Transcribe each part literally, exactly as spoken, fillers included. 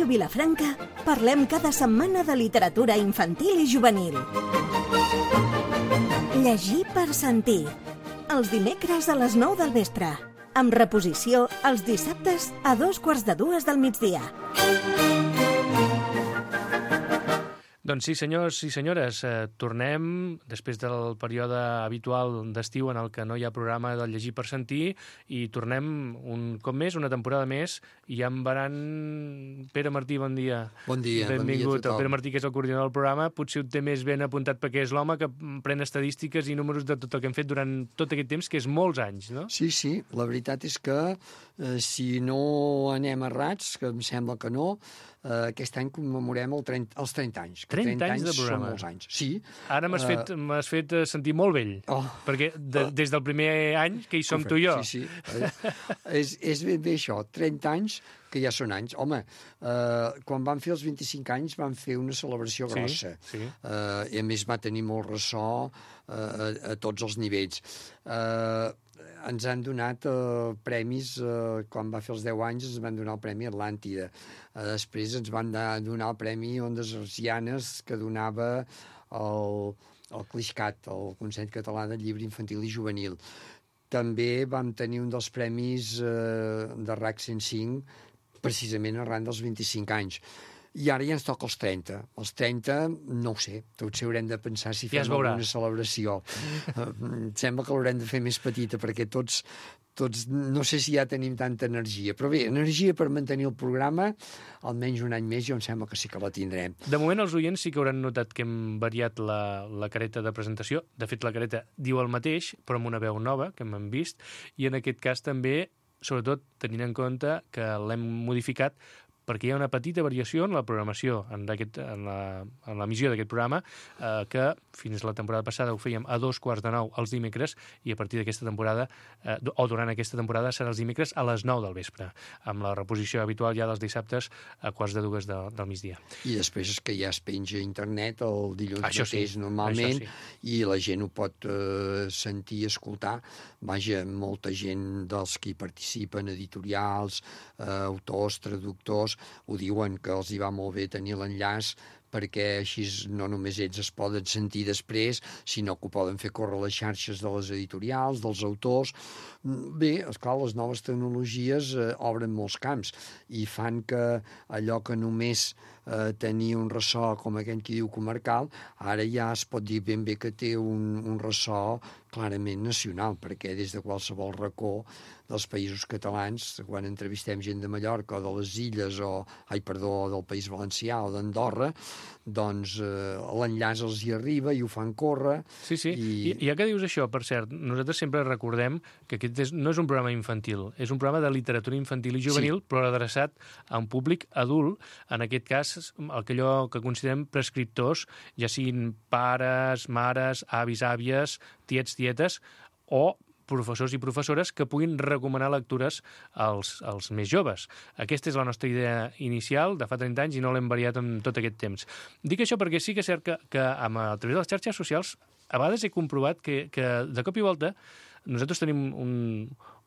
Ràdio Vilafranca parlem cada setmana de literatura infantil i juvenil. Llegir per sentir. Els dimecres a les nou del vespre. Amb reposició els dissabtes a dos quarts de dues del migdia. Doncs sí, senyors i senyores, eh, tornem després del període habitual d'estiu en el que no hi ha programa del Llegir per sentir i tornem un cop més, una temporada més, i ja em veran... Pere Martí, bon dia. Bon dia, Benvingut. bon dia a tothom. El Pere Martí, que és el coordinador del programa, potser ho té més ben apuntat perquè és l'home que pren estadístiques i números de tot el que hem fet durant tot aquest temps, que és molts anys, no? Sí, sí, la veritat és que eh, si no anem errats, que em sembla que no, eh, aquest any commemorem el trenta, els trenta anys. trenta anys de programa. Són molts anys, sí. Ara m'has Uh, fet, m'has fet eh, sentir molt vell, Oh. perquè de, des del primer any que hi som Correcte, tu i jo. Sí, sí. Eh, és, és ben bé això, trenta anys, que ja són anys. Home, eh, quan van fer els vint-i-cinc anys van fer una celebració Sí, grossa. sí. Eh, I a més va tenir molt ressò eh, a, a tots els nivells. Eh, ens han donat eh, premis, eh, quan va fer els deu anys ens van donar el Premi Atlàntida. Eh, després ens van da, donar el Premi Ondes Hertzianes que donava el, el CLIXCAT, el Consell Català del Llibre Infantil i Juvenil. També vam tenir un dels premis eh, de R A C cent cinc precisament arran dels vint-i-cinc anys. I ara ja ens toca els trenta. Els trenta, no ho sé, tots haurem de pensar si Ja fem es veurà. alguna celebració. Uh, em sembla que l'haurem de fer més petita, perquè tots, tots no sé si ja tenim tanta energia. Però bé, energia per mantenir el programa, almenys un any més, jo em sembla que sí que la tindrem. De moment els oients sí que hauran notat que hem variat la, la careta de presentació. De fet, la careta diu el mateix, però amb una veu nova, que hem vist, i en aquest cas també, sobretot tenint en compte que l'hem modificat perquè hi ha una petita variació en la programació, en, en l'emissió d'aquest programa, eh, que fins la temporada passada ho fèiem a dos quarts de nou els dimecres, i a partir d'aquesta temporada, eh, o durant aquesta temporada, serà els dimecres a les nou del vespre, amb la reposició habitual ja dels dissabtes a quarts de dues de, del migdia. I després és que ja es penja a internet el dilluns Això sí, mateix normalment, això sí. i la gent ho pot eh, sentir, escoltar. Vaja, molta gent dels que hi participen, editorials, eh, autors, traductors, ho diuen que els hi va molt bé tenir l'enllaç, perquè així no només ells es poden sentir després, sinó que ho poden fer córrer les xarxes de les editorials, dels autors. Bé, esclar, les noves tecnologies eh, obren molts camps i fan que allò que només eh, tenia un ressò, com aquell que diu comarcal, ara ja es pot dir ben bé que té un, un ressò clarament nacional, perquè des de qualsevol racó dels països catalans, quan entrevistem gent de Mallorca o de les Illes, o, ai, perdó, del País Valencià o d'Andorra, doncs eh, l'enllaç els hi arriba i ho fan córrer. Sí, sí, i... I ja que dius això, per cert, nosaltres sempre recordem que aquest és, no és un programa infantil, és un programa de literatura infantil i juvenil, sí, però adreçat a un públic adult, en aquest cas, allò que considerem prescriptors, ja siguin pares, mares, avis, àvies, tiets, tietes, o professors i professores que puguin recomanar lectures als, als més joves. Aquesta és la nostra idea inicial de fa trenta anys i no l'hem variat en tot aquest temps. Dic això perquè sí que és cert que, que amb, a través de les xarxes socials a vegades he comprovat que, que de cop i volta nosaltres tenim un,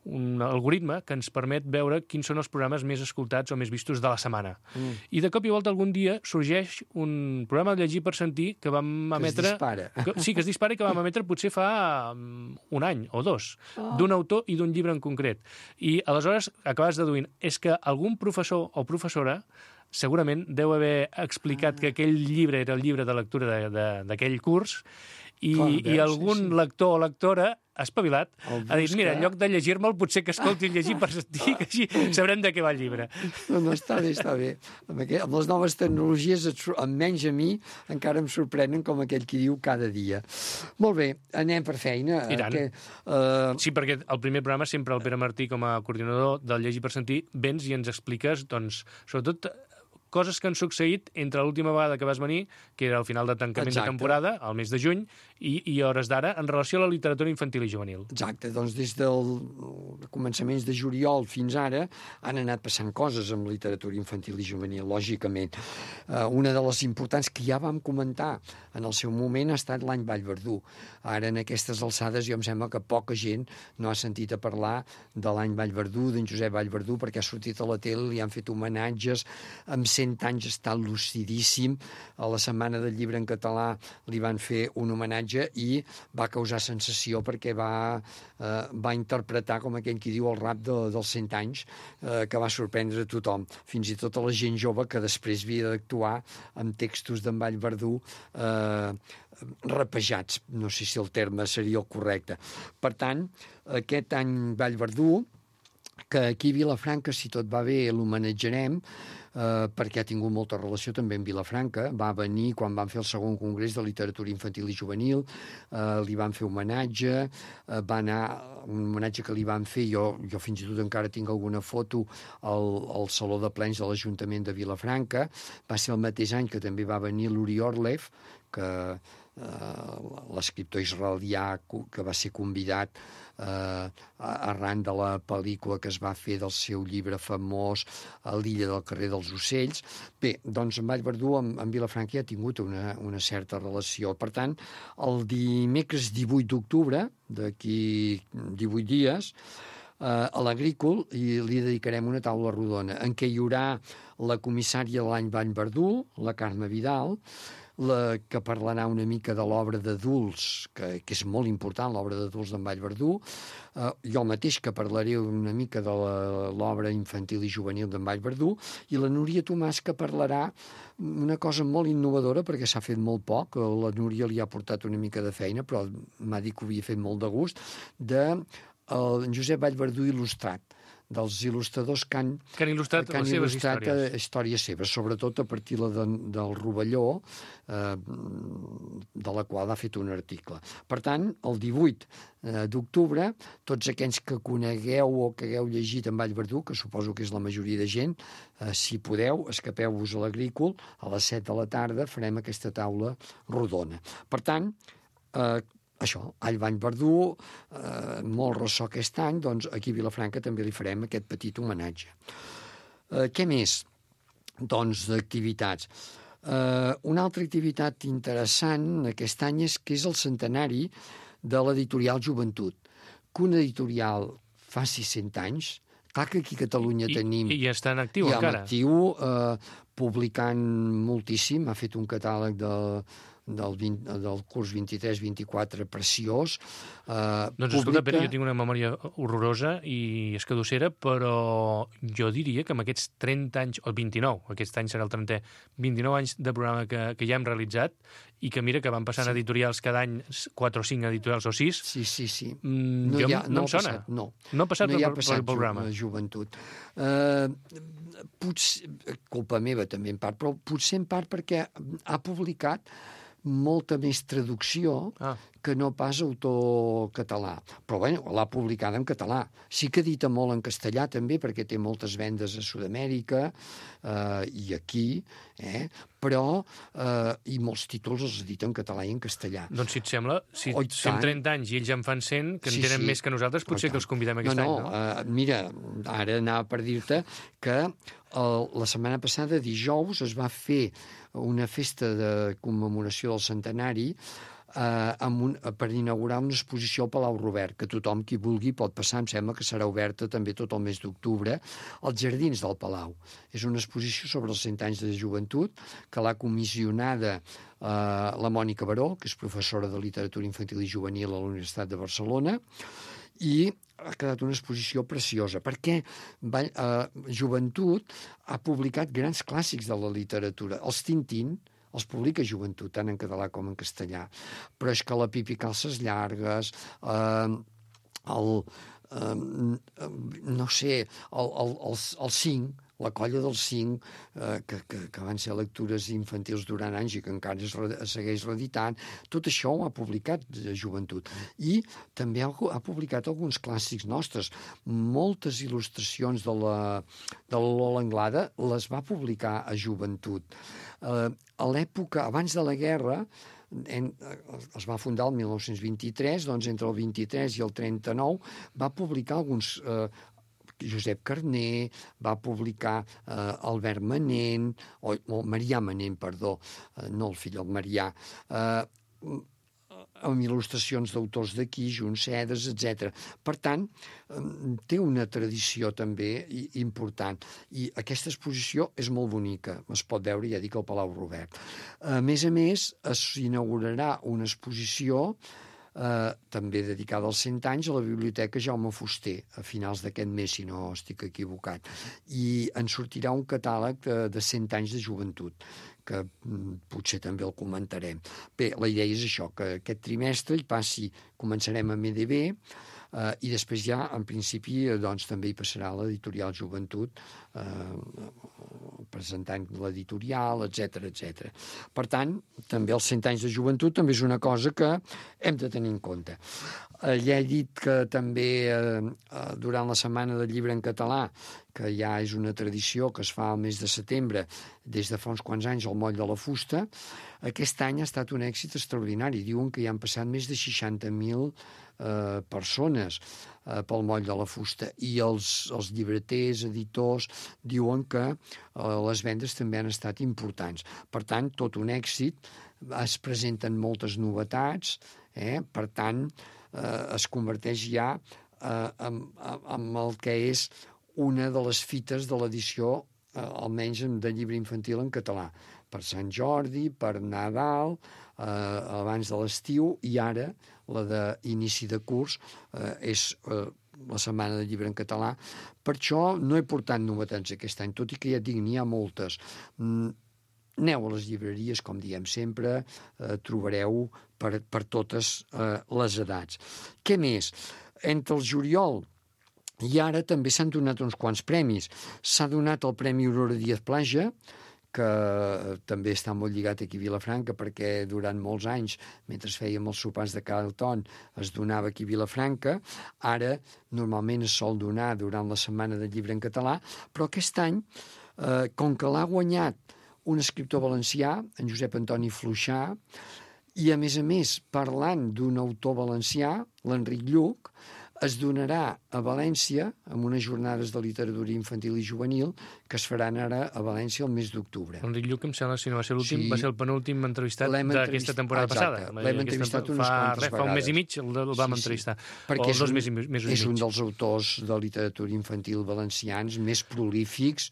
un algoritme que ens permet veure quins són els programes més escoltats o més vistos de la setmana. Mm. I de cop i volta algun dia sorgeix un programa de Llegir per sentir que vam emetre... Que es dispara. Que, sí, que es dispara i que vam emetre potser fa um, un any o dos, oh, d'un autor i d'un llibre en concret. I aleshores acabes deduint, és que algun professor o professora segurament deu haver explicat ah. que aquell llibre era el llibre de lectura d'aquell curs i, Clar, veus, i algun sí, sí. lector o lectora espavilat, ha dit, mira, en lloc de llegir-me'l, potser que escolti el Llegir per sentir, que així sabrem de què va el llibre. No, no, està bé, està bé. Amb, aquest, amb les noves tecnologies, almenys a mi, encara em sorprenen com aquell qui diu cada dia. Molt bé, anem per feina. I tant. Que, uh... Sí, perquè el primer programa sempre el Pere Martí, com a coordinador del Llegir per sentir, vens i ens expliques, doncs, sobretot coses que han succeït entre l'última vegada que vas venir, que era el final de tancament Exacte. de temporada, al mes de juny, i, i hores d'ara, en relació a la literatura infantil i juvenil. Exacte, doncs des del començaments de juliol fins ara han anat passant coses amb literatura infantil i juvenil, lògicament. Uh, una de les importants que ja vam comentar en el seu moment ha estat l'any Vallverdú. Ara, en aquestes alçades, jo em sembla que poca gent no ha sentit a parlar de l'any Vallverdú, d'en Josep Vallverdú, perquè ha sortit a la tele, li han fet homenatges amb cent anys està lucidíssim. A la Setmana del Llibre en català li van fer un homenatge i va causar sensació perquè va, eh, va interpretar, com aquell qui diu, el rap de, dels cent anys, eh, que va sorprendre a tothom, fins i tot a la gent jove que després havia d'actuar amb textos d'en Vallverdú eh, rapejats, no sé si el terme seria el correcte. Per tant, aquest any Vallverdú, que aquí a Vilafranca, si tot va bé, l'homenatjarem, eh, perquè ha tingut molta relació també amb Vilafranca. Va venir quan van fer el segon congrés de literatura infantil i juvenil, eh, li van fer homenatge, eh, va anar, un homenatge que li van fer, jo, jo fins i tot encara tinc alguna foto al, al Saló de Plens de l'Ajuntament de Vilafranca. Va ser el mateix any que també va venir l'Uri Orlev, que eh, l'escriptor israelià que va ser convidat eh, arran de la pel·lícula que es va fer del seu llibre famós a l'illa del carrer dels Ocells. Bé, doncs en Vallverdú, amb, amb Vilafranca ja ha tingut una, una certa relació. Per tant, el dimecres divuit d'octubre, d'aquí divuit dies, eh, a l'Agrícola i li dedicarem una taula rodona en què hi haurà la comissària de l'any Vallverdú, la Carme Vidal, la que parlarà una mica de l'obra d'adults, que, que és molt important, l'obra d'adults d'en Vallverdú, eh, jo mateix que parlaré una mica de l'obra infantil i juvenil d'en Vallverdú, i la Núria Tomàs que parlarà una cosa molt innovadora, perquè s'ha fet molt poc, la Núria li ha portat una mica de feina, però m'ha dit que ho havia fet molt de gust, de el Josep Vallverdú il·lustrat, dels il·lustradors que han, que han il·lustrat, que han les seves il·lustrat històries. històries seves, sobretot a partir de, del Rovelló, eh, de la qual ha fet un article. Per tant, el divuit d'octubre, tots aquells que conegueu o que hagueu llegit en Vallverdú, que suposo que és la majoria de gent, eh, si podeu, escapeu-vos a l'Agrícola, a les set de la tarda farem aquesta taula rodona. Per tant, eh, això, all Vallverdú, eh, molt ressò aquest any, doncs aquí a Vilafranca també li farem aquest petit homenatge. Eh, què més? Doncs d'activitats. Eh, una altra activitat interessant aquest any és que és el centenari de l'editorial Joventut. Que un editorial faci cent anys, clar que aquí a Catalunya I, tenim... I ja està en actiu, ja encara. en actiu, eh, publicant moltíssim, ha fet un catàleg de... Del, vint, del curs vint-i-tres vint-i-quatre preciós. Eh, doncs publica... escolta, Pere, jo tinc una memòria horrorosa i escadussera, però jo diria que amb aquests trenta anys, o vint-i-nou, aquest any serà el trentè, vint-i-nou anys de programa que, que ja hem realitzat i que mira que van passant sí. editorials cada any, quatre o cinc editorials o sis. Sí, sí, sí. Mm, no, jo, ha, no, no em sona. Passat, no. no ha passat no per, ha passat per el programa. Joventut. Eh, potser, culpa meva també en part, però potser en part perquè ha publicat molta més traducció ah. que no pas autor català. Però bé, l'ha publicada en català. Sí que edita molt en castellà també, perquè té moltes vendes a Sud-amèrica eh, i aquí, eh, però eh, i molts títols els edita en català i en castellà. Doncs si et sembla, si oh, fem trenta anys i ells en fan cent, que en sí, tenen sí. més que nosaltres, potser oh, que els convidem aquest no, any, no? no? Uh, mira, ara anava per dir-te que el, la setmana passada, dijous, es va fer una festa de commemoració del centenari eh, amb un, per inaugurar una exposició al Palau Robert, que tothom qui vulgui pot passar, em sembla que serà oberta també tot el mes d'octubre, als jardins del Palau. És una exposició sobre els cent anys de joventut que l'ha comissionada eh, la Mònica Baró, que és professora de literatura infantil i juvenil a la Universitat de Barcelona, i ha quedat una exposició preciosa, perquè va, eh, Joventut ha publicat grans clàssics de la literatura. Els Tintín els publica Joventut, tant en català com en castellà. Però és que la Pipi Calces Llargues, eh, el, eh, no sé, el, el, els, els cinc, la colla dels cinc, eh, que, que, que van ser lectures infantils durant anys i que encara es, re, es segueix reeditant, tot això ho ha publicat de Joventut. I també ha, ha publicat alguns clàssics nostres. Moltes il·lustracions de la, de la Lola Anglada les va publicar a Joventut. Eh, a l'època, abans de la guerra, En, es va fundar el mil nou-cents vint-i-tres, doncs entre el vint-i-tres i el trenta-nou va publicar alguns... Eh, Josep Carner, va publicar eh, Albert Manent, o, o Marià Manent, perdó, eh, no el fill, el Marià. Eh, amb il·lustracions d'autors d'aquí, Juncedes, etcètera. Per tant, té una tradició també important. I aquesta exposició és molt bonica. Es pot veure, ja dic, al Palau Robert. A més a més, s'inaugurarà una exposició Eh, també dedicada als cent anys a la Biblioteca Jaume Fuster, a finals d'aquest mes, si no estic equivocat. I en sortirà un catàleg de, de cent anys de joventut, que mm, potser també el comentarem. Bé, la idea és això, que aquest trimestre hi passi, començarem amb E D B, eh, i després ja, en principi, doncs, també hi passarà l'editorial Joventut, eh, presentant l'editorial, etcètera, etcètera. Per tant, també els cent anys de joventut també és una cosa que hem de tenir en compte. Eh, ja he dit que també eh, durant la Setmana del Llibre en Català, que ja és una tradició que es fa al mes de setembre, des de fa uns quants anys al Moll de la Fusta, aquest any ha estat un èxit extraordinari. Diuen que hi han passat més de seixanta mil eh, persones eh, pel Moll de la Fusta, i els, els llibreters, editors, diuen que eh, les vendes també han estat importants. Per tant, tot un èxit, es presenten moltes novetats, eh? Per tant, eh, es converteix ja eh, en, en el que és una de les fites de l'edició, eh, almenys de llibre infantil en català, per Sant Jordi, per Nadal, eh, abans de l'estiu, i ara la d'inici de curs eh, és eh, la Setmana del Llibre en Català. Per això no he portat novetats aquest any, tot i que ja et dic, n'hi ha moltes. Mm, aneu a les llibreries, com diem sempre, eh, trobareu per, per totes eh, les edats. Què més? Entre el juliol i ara també s'han donat uns quants premis. S'ha donat el Premi Aurora Díaz Plaja, que també està molt lligat aquí a Vilafranca, perquè durant molts anys, mentre fèiem els sopars de Carlton, es donava aquí a Vilafranca. Ara, normalment es sol donar durant la Setmana del Llibre en Català, però aquest any, eh, com que l'ha guanyat un escriptor valencià, en Josep Antoni Fluixà, i a més a més, parlant d'un autor valencià, l'Enric Lluch, es donarà a València, amb unes jornades de literatura infantil i juvenil, que es faran ara a València el mes d'octubre. Enric Lluch, em sembla, si no va ser l'últim, sí, va ser el penúltim entrevistat d'aquesta temporada exacte, passada. L'hem entrevistat unes fa, quantes res, vegades. Fa un mes i mig el, el vam sí, entrevistar. Sí, perquè o és, dos un, mesos, mesos és i mig. un dels autors de literatura infantil valencians més prolífics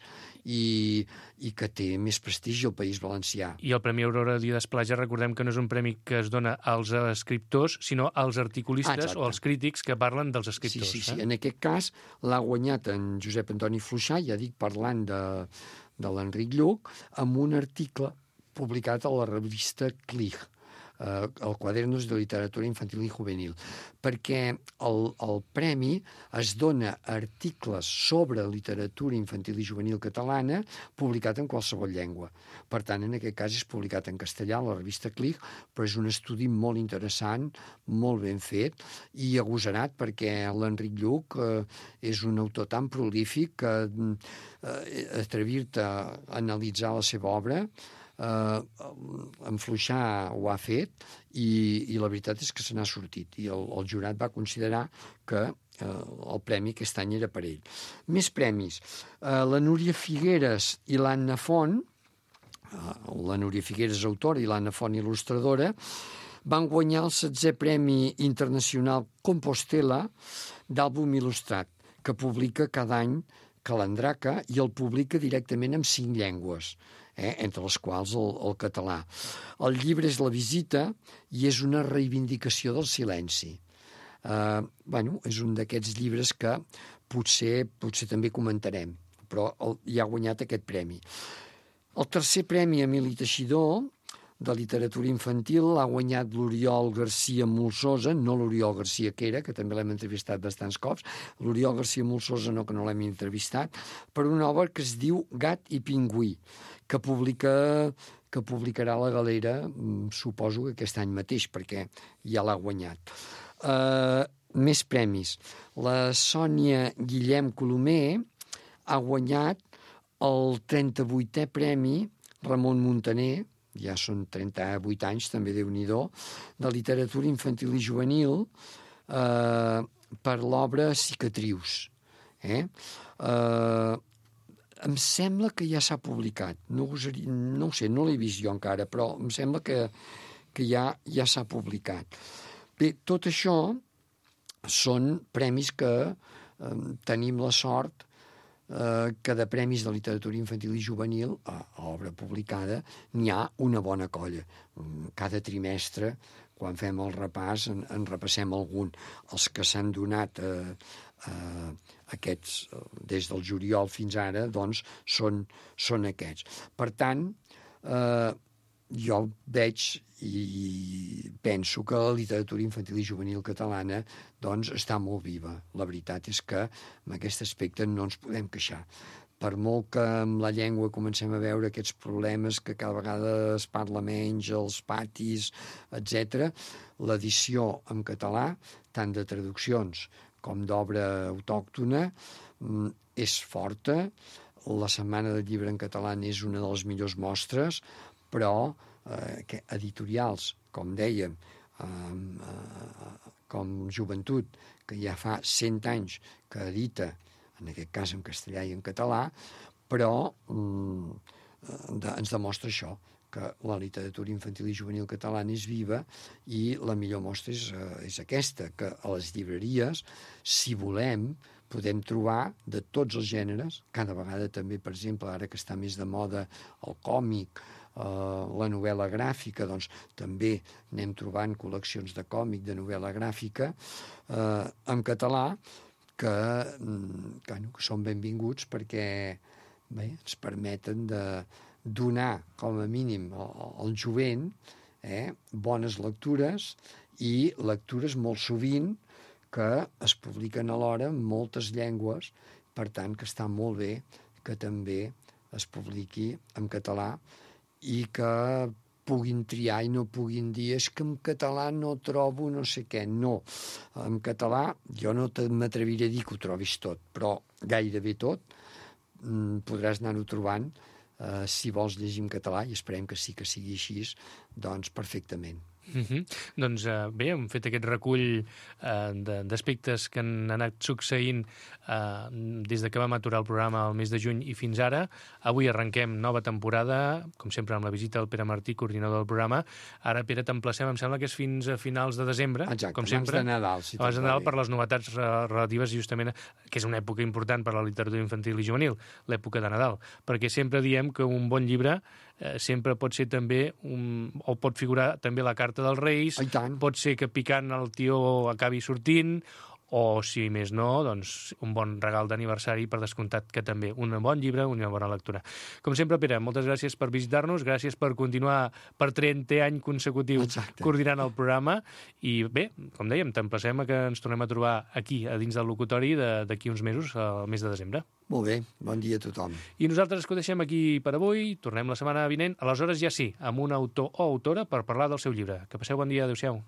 i, i que té més prestigi al País Valencià. I el Premi Aurora Díaz Plaja, recordem que no és un premi que es dona als escriptors, sinó als articulistes ah, o als crítics que parlen dels escriptors. Sí, sí, sí. Eh? En aquest cas l'ha guanyat en Josep Antoni Fluixà, ja dic, parlant de, de l'Enric Lluch, amb un article publicat a la revista Clig, eh, el Quadernos de Literatura Infantil i Juvenil, perquè el, el premi es dona a articles sobre literatura infantil i juvenil catalana publicat en qualsevol llengua. Per tant, en aquest cas és publicat en castellà a la revista Clig, però és un estudi molt interessant, molt ben fet i agosarat, perquè l'Enric Lluch eh, és un autor tan prolífic que eh, atrevir-te a analitzar la seva obra, Uh, en Fluixà ho ha fet i, i la veritat és que se n'ha sortit i el, el jurat va considerar que uh, el premi aquest any era per ell. Més premis. Uh, la Núria Figueres i l'Anna Font, uh, la Núria Figueres autora i l'Anna Font il·lustradora, van guanyar el setzè Premi Internacional Compostela d'àlbum il·lustrat, que publica cada any Calandraca i el publica directament en cinc llengües, eh, entre les quals el, el català. El llibre és La visita i és una reivindicació del silenci. Eh, bueno, és un d'aquests llibres que potser, potser també comentarem, però el, ja ha guanyat aquest premi. El tercer premi Emili Teixidor, de literatura infantil, l'ha guanyat l'Oriol Garcia Molsosa, no l'Oriol Garcia Quera, que també l'hem entrevistat bastants cops, l'Oriol Garcia Molsosa no, que no l'hem entrevistat, per una obra que es diu Gat i pingüí, que publica que publicarà la Galera, suposo que aquest any mateix, perquè ja l'ha guanyat. Uh, més premis. La Sònia Guillem Colomer ha guanyat el trenta-vuitè Premi Ramon Muntaner, ja són trenta-vuit anys, també Déu-n'hi-do, de literatura infantil i juvenil eh, per l'obra Cicatrius. Eh? Eh, em sembla que ja s'ha publicat. No, no ho sé, no l'he vist jo encara, però em sembla que, que ja ja s'ha publicat. Bé, tot això són premis que eh, tenim la sort eh, que de premis de literatura infantil i juvenil a, a obra publicada n'hi ha una bona colla. Cada trimestre, quan fem el repàs, en, en repassem algun. Els que s'han donat eh, eh, aquests, des del juliol fins ara, doncs, són, són aquests. Per tant, eh, jo veig i penso que la literatura infantil i juvenil catalana doncs, està molt viva. La veritat és que en aquest aspecte no ens podem queixar. Per molt que amb la llengua comencem a veure aquests problemes que cada vegada es parla menys, els patis, etcètera, l'edició en català, tant de traduccions com d'obra autòctona, és forta. La Setmana del Llibre en català és una de les millors mostres, però eh, que editorials, com dèiem, eh, eh, com Joventut, que ja fa cent anys que edita, en aquest cas en castellà i en català, però mm, de, ens demostra això, que la literatura infantil i juvenil catalana és viva i la millor mostra és, eh, és aquesta, que a les llibreries, si volem, podem trobar de tots els gèneres, cada vegada també, per exemple, ara que està més de moda el còmic, Uh, la novel·la gràfica, doncs també anem trobant col·leccions de còmic, de novel·la gràfica, uh, en català, que, que, no, que són benvinguts perquè bé, ens permeten de donar, com a mínim, al, al jovent eh, bones lectures i lectures molt sovint que es publiquen alhora en moltes llengües, per tant que està molt bé que també es publiqui en català i que puguin triar i no puguin dir és que en català no trobo no sé què. No, en català jo no m'atreviré a dir que ho trobis tot, però gairebé tot podràs anar-ho trobant eh, si vols llegir en català, i esperem que sí que sigui així, doncs perfectament. Uh-huh. Doncs uh, bé, hem fet aquest recull uh, d'aspectes que han anat succeint uh, des de que vam aturar el programa el mes de juny i fins ara. Avui arrenquem nova temporada, com sempre amb la visita del Pere Martí, coordinador del programa. Ara, Pere, t'emplacem, em sembla que és fins a finals de desembre. Exacte, com abans sempre, de Nadal. Si abans de Nadal, per les novetats relatives justament, que és una època important per a la literatura infantil i juvenil, l'època de Nadal, perquè sempre diem que un bon llibre eh, sempre pot ser també, un, o pot figurar també la carta dels Reis, pot ser que picant el tió acabi sortint, o, si més no, doncs un bon regal d'aniversari, per descomptat que també un bon llibre, una bona lectura. Com sempre, Pere, moltes gràcies per visitar-nos, gràcies per continuar per trentè any consecutiu Exacte. Coordinant el programa, i bé, com dèiem, t'emplacem a que ens tornem a trobar aquí, a dins del locutori, d'aquí uns mesos, al mes de desembre. Molt bé, bon dia a tothom. I nosaltres que ho deixem aquí per avui, tornem la setmana vinent, aleshores ja sí, amb un autor o autora per parlar del seu llibre. Que passeu bon dia, adéu-siau.